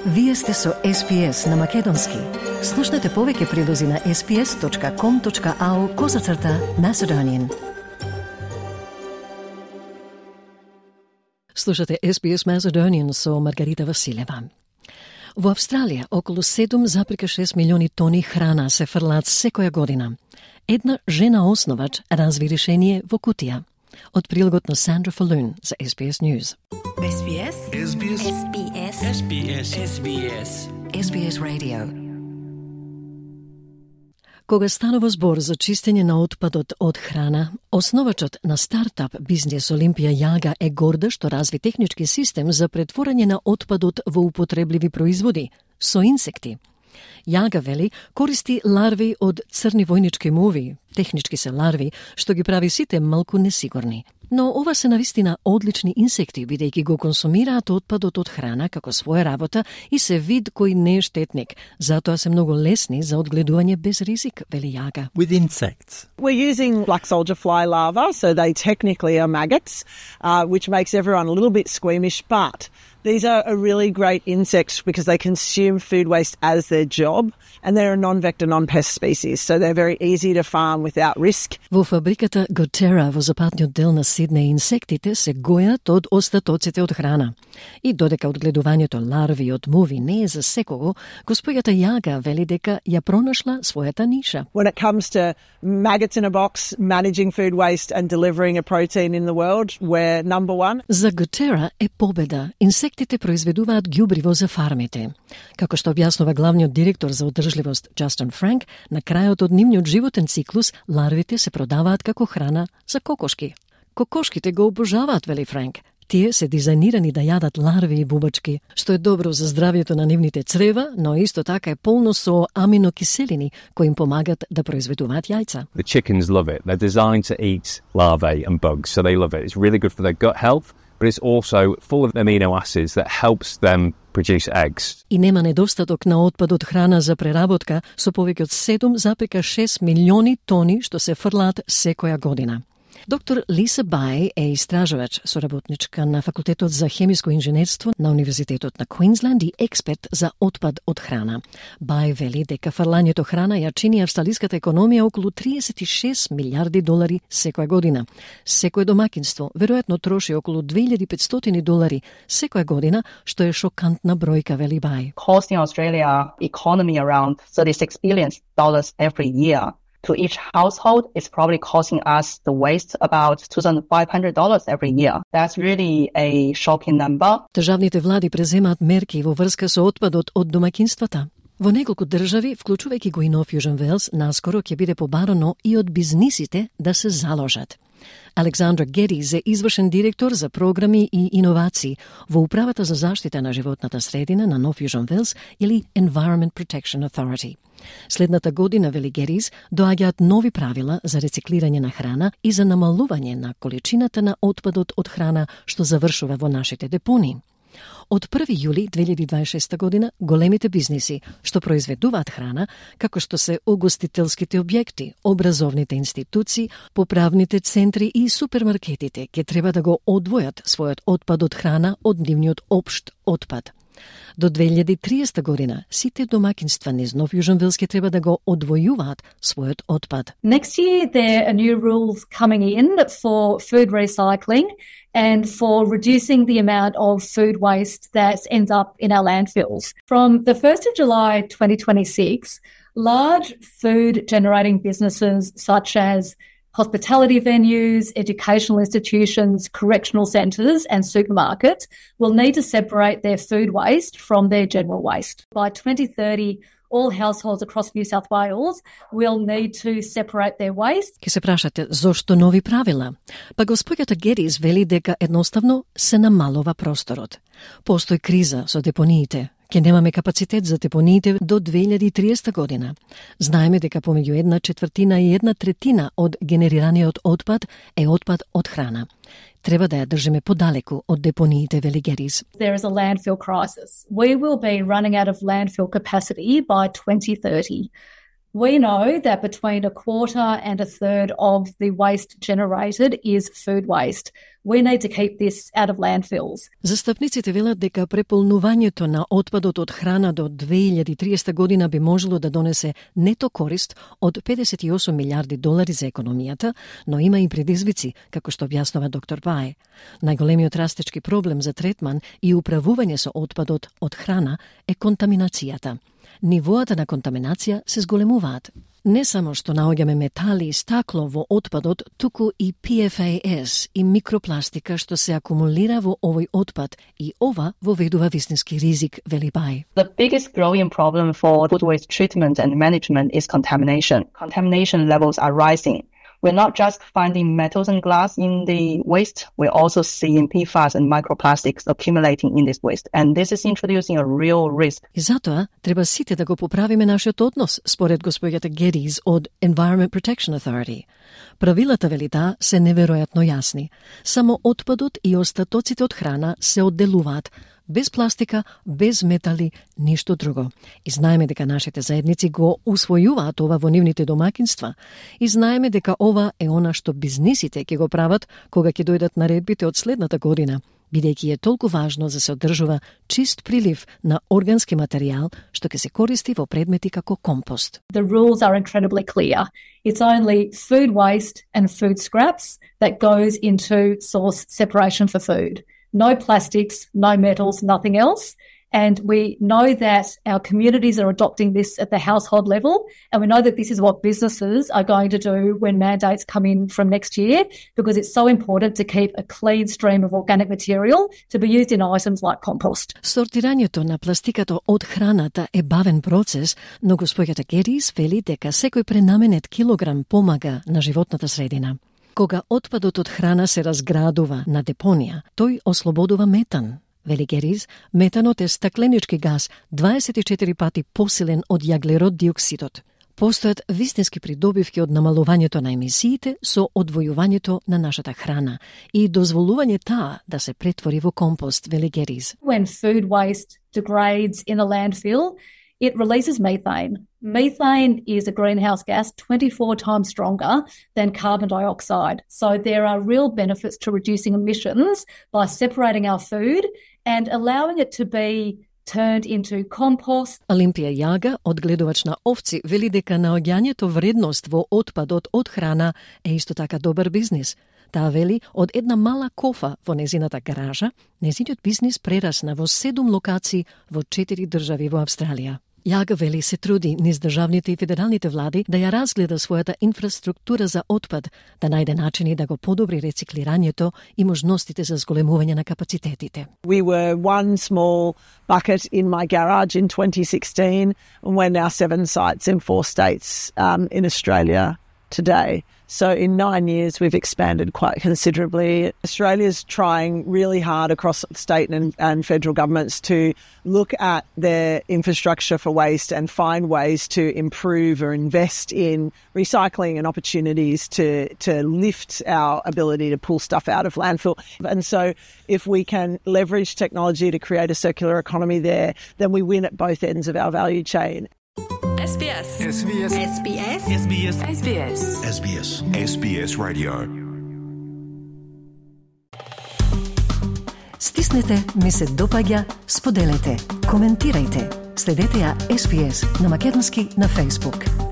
Вие сте со SPS на Македонски. Слушнете повеќе прилози на sps.com.au/Macedonian. Слушате SBS Macedonian со Маргарита Василева. Во Австралија околу 7,6 милиони тони храна се фрлаат секоја година. Една жена основач разви решение во кутија. Од прилогот на Сандра Фалун за SBS News. SBS. SBS. SBS. SBS. SBS. SBS Radio. Кога станува збор за чистење на отпадот од храна, основачот на стартап бизнес Олимпија Јага е горда што разви технички систем за претворање на отпадот во употребливи производи со инсекти. Јага вели користи ларви од црни војнички муви, технички се ларви, што ги прави сите малку несигурни. Но ова се навистина одлични инсекти, бидејќи го консумираат отпадот од храна како своја работа и се вид кој не е штетник. Затоа се многу лесни за одгледување без ризик, вели Јага. With insects, we're using black soldier fly larvae, so they technically are maggots, which makes everyone a little bit squeamish, but these are a really great insect because they consume food waste as their job, and they're a non-vector, non-pest species, so they're very easy to farm without risk. Во фабриката Goterra во западниот дел на Сиднеј инсектите се гојат од остатоците од храна. И додека одгледувањето ларви од муви не е за секого, госпојата Јага вели дека ја пронашла својата ниша. When it comes to maggots in a box, managing food waste and delivering a protein in the world, we're number one. За Goterra е победа. Инсектите произведуваат ѓубриво за фармите. Како што објаснува главниот директор за одржливост Джастин Франк, на крајот од нивниот животен циклус ларвите се продаваат како храна за кокошки. Кокошките го обожаваат, вели Франк. Тие се дизајнирани да јадат ларви и бубачки, што е добро за здравјето на нивните црева, но исто така е полно со аминокиселини кои им помагат да произведуваат јајца. The chickens love it. They're designed to eat larvae and bugs, so they love it. It's really good for their gut health, but it's also full of amino acids that helps them produce eggs. И нема недостаток на отпад од храна за преработка со повеќе од 7,6 милиони тони што се фрлаат секоја година. Доктор Лиса Бај е истражувач, соработничка на Факултетот за хемиско инженерство на Универзитетот на Квинсленд и експерт за отпад од храна. Бај вели дека фрлањето храна ја чини австралиската економија околу 36 милиарди долари секоја година. Секое домакинство веројатно троши околу 2500 долари секоја година, што е шокантна бројка, вели Бај. Costing Australia economy around $36 billion every year. To each household, it's probably costing us the waste about $2,500 every year. That's really a shocking number. Државните влади преземаат мерки во врска со отпадот од домакинствата. Во неколку држави, вклучувајќи го и Нов Јужен Велс, наскоро ќе биде побарано и од бизнисите да се заложат. Александра Гедис е извршен директор за програми и иновации во Управата за заштита на животната средина на Нов Јужен Велс или Environment Protection Authority. Следната година, вели Гедис, доаѓаат нови правила за рециклирање на храна и за намалување на количината на отпадот од храна што завршува во нашите депони. Од 1 јули 2026 година, големите бизниси што произведуваат храна, како што се угостителските објекти, образовните институции, поправните центри и супермаркетите, ќе треба да го одвојат својот отпад од храна од нивниот општ отпад. До 2030 година, сите домакинства низ Нов Јужен Велс ќе треба да го одвојуваат својот отпад. Next year, there are new rules coming in for food recycling and for reducing the amount of food waste that ends up in our landfills. From the 1st of July 2026, large food generating businesses such as hospitality venues, educational institutions, correctional centres and supermarkets will need to separate their food waste from their general waste. By 2030, all households across New South Wales will need to separate their waste. Ке се прашате зошто нови правила? Па госпојата Гедис вели дека едноставно се намалува просторот. Постои криза со депониите. Ке немаме капацитет за депониите до 2030 година. Знаеме дека помеѓу 1/4 и 1/3 од генерираниот отпад е отпад од храна. Треба да ја држиме подалеку од депониите, вели Гедис. There is a landfill crisis. We will be running out of landfill capacity by 2030. We know that between a quarter and a third of the waste generated is food waste. we need to keep this out of landfills. Застапниците велат дека преполнувањето на отпадот од храна до 2030 година би можело да донесе нето корист од $58 милиарди за економијата, но има и предизвици, како што објаснува доктор Бај. Најголемиот растечки проблем за третман и управување со отпадот од храна е контаминацијата. Нивоата на контаминација се зголемуваат. Не само што наоѓаме метали и стакло во отпадот, туку и PFAS и микропластика што се акумулира во овој отпад и ова воведува вистински ризик, вели Бај. The biggest growing problem for food waste treatment and management is contamination. Contamination levels are rising. We're not just finding metals and glass in the waste, we're also seeing PFAS and microplastics accumulating in this waste. And this is introducing a real risk. И затоа треба сите да го поправиме нашиот однос, според господјата Geddes од Environment Protection Authority. Правилата, вели таа, се неверојатно јасни. Само отпадот и остатоците од храна се одделуваат, без пластика, без метали, ништо друго. И знаеме дека нашите заедници го усвојуваат ова во нивните домакинства. И знаеме дека ова е она што бизнисите ќе го прават кога ќе дојдат наредбите од следната година, бидејќи е толку важно за се одржува чист прилив на органски материјал што ќе се користи во предмети како компост. The rules are incredibly clear. It's only food waste and food scraps that goes into source separation for food. No plastics, no metals, nothing else. And we know that our communities are adopting this at the household level. And we know that this is what businesses are going to do when mandates come in from next year, because it's so important to keep a clean stream of organic material to be used in items like compost. Сортирањето на пластикато од храната е бавен процес, но господјата Geddes вели дека секој пренаменет килограм помага на животната средина. Кога отпадот од храна се разградува на депонија, тој ослободува метан. Вели Geddes, метанот е стакленички газ 24 пати посилен од јаглерод диоксидот. Постојат вистински придобивки од намалувањето на емисиите со одвојувањето на нашата храна и дозволување таа да се претвори во компост, вели Geddes. When food waste degrades in a landfill, it releases methane. Methane is a greenhouse gas 24 times stronger than carbon dioxide. So there are real benefits to reducing emissions by separating our food and allowing it to be turned into compost. Олимпија Јага, одгледувач на овци, вели дека наоѓањето вредност во отпадот од храна е исто така добар бизнис. Таа вели, од една мала кофа во незината гаража, незиниот бизнис прерасна во 7 локации во 4 држави во Австралија. Јага вели се труди низ државните и федералните влади да ја разгледа својата инфраструктура за отпад, да најде начини да го подобри рециклирањето и можностите за зголемување на капацитетите. We were one small bucket in my garage in 2016, and we're now 7 sites in 4 states in Australia today. So in 9 years, we've expanded quite considerably. Australia's trying really hard across state and federal governments to look at their infrastructure for waste and find ways to improve or invest in recycling and opportunities to lift our ability to pull stuff out of landfill. And so if we can leverage technology to create a circular economy there, then we win at both ends of our value chain. SBS. SBS. SBS. SBS. SBS. SBS. SBS Radio. Стиснете, ми се допаѓа, споделете, коментирајте. Следете ја SBS на македонски на Facebook.